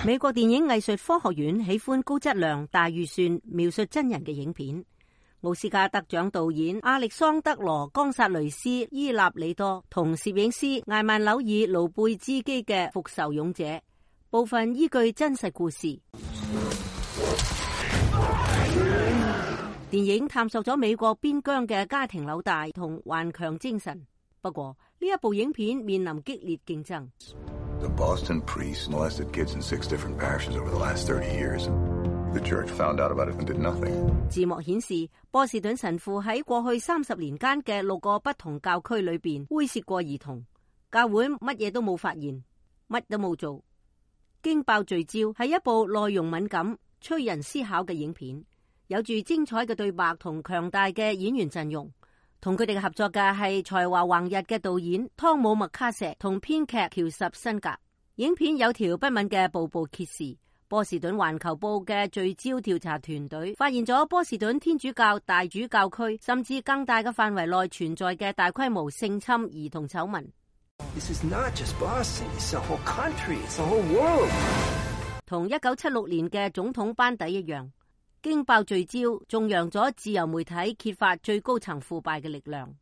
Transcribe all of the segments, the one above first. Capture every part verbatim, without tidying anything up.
美國電影藝術科學院喜歡高質量、大預算描述真人嘅影片。奧斯卡得獎導演亞歷桑德羅·岡薩雷斯·伊納里多同攝影師艾曼紐爾·盧貝茲基嘅《復仇勇者》，部分依據真實故事。電影探索咗美國邊疆嘅家庭紐帶同頑強精神。不過呢一部影片面臨激烈競爭。The Boston priest molested kids in six different parishes over the last thirty years. The church found out about it and did nothing. 字幕顯示，波士頓神父喺過去三十年間嘅六個不同教區裏邊猥褻過兒童，教會乜嘢都冇發現，乜都冇做。驚爆聚焦係一部內容敏感、催人思考嘅影片，有住精彩嘅對白同強大嘅演員陣容。同佢哋合作嘅係才華橫溢嘅導演湯姆麥卡錫同編劇喬什辛格。影片有條不紊嘅步步揭示。波士頓環球報嘅聚焦調查團隊發現咗波士頓天主教大主教區甚至更大嘅範圍內存在嘅大規模性侵兒童醜聞。This is not just Boston, it's the whole country, it's the whole world. 同一九七六年嘅總統班底一樣。驚爆聚焦，頌揚咗自由媒體揭發最高層腐敗嘅力量。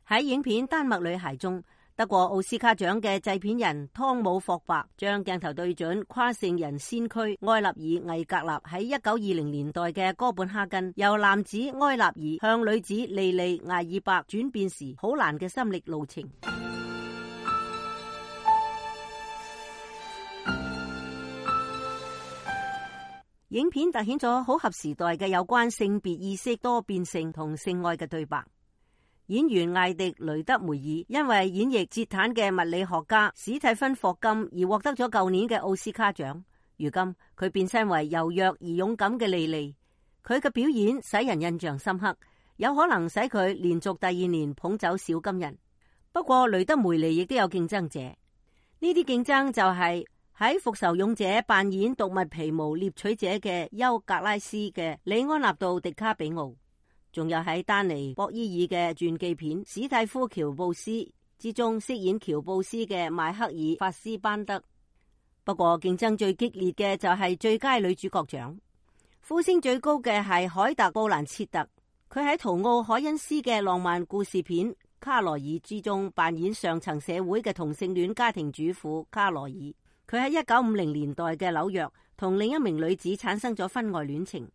喺影片《丹麥女孩》中，得過奧斯卡獎嘅製片人湯姆霍伯將鏡頭對準跨性人先驅埃納爾魏格納喺一九二零年代嘅哥本哈根，由男子埃納爾向女子莉莉艾爾伯轉變時好難嘅心力路程。影片凸顯咗好合時代嘅有關性別意識多變性同性愛嘅對白。演員艾迪雷德梅爾因為演繹捷坦嘅物理學家史蒂芬霍金而獲得咗舊年嘅奧斯卡獎。如今佢變身為柔弱而勇敢嘅莉莉，佢嘅表演使人印象深刻，有可能使佢連續第二年捧走小金人。不過雷德梅尼亦都有競爭者，呢啲競爭就係、是。喺《復仇勇者》扮演動物皮毛獵取者嘅休格拉斯嘅里安納度·迪卡比奧，仲有喺丹尼·博伊爾嘅傳記片《史蒂夫·喬布斯》之中飾演喬布斯嘅邁克爾·法斯班德。不過競爭最激烈嘅就係最佳女主角獎，呼聲最高嘅係凱特·布蘭切特，佢喺圖奧·凱恩斯嘅浪漫故事片《卡羅爾》之中扮演上層社會嘅同性戀家庭主婦卡羅爾。佢喺一九五零年代嘅紐約同另一名女子產生咗婚外戀情。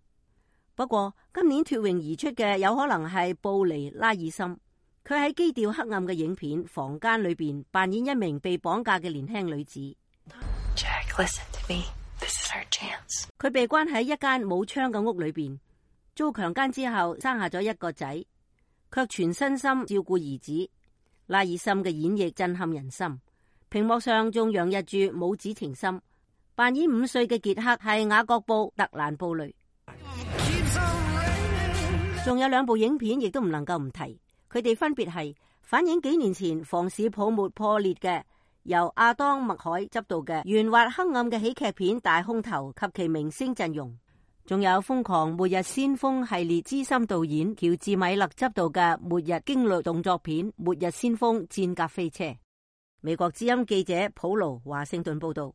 不過今年脫穎而出嘅有可能係布尼拉爾森，佢喺基調黑暗嘅影片《房間》裏邊扮演一名被綁架嘅年輕女子。Jack, listen to me. This is our chance. 佢被關喺一間冇窗嘅屋裏邊，遭強姦之後生下咗一個仔，卻全身心照顧兒子。拉爾森嘅演繹震撼人心。屏幕上仲洋溢住母子情深，扮演五歲嘅傑克係雅各布特蘭布雷。仲有兩部影片亦都唔能夠唔提，佢哋分別係反映幾年前房市泡沫破裂嘅由亞當麥海執導嘅圓滑黑暗嘅喜劇片《大空頭》及其明星陣容，仲有瘋狂末日先鋒系列資深導演喬治米勒執導嘅末日驚慄動作片《末日先鋒戰甲飛車》。美國之音記者普盧華盛頓報道。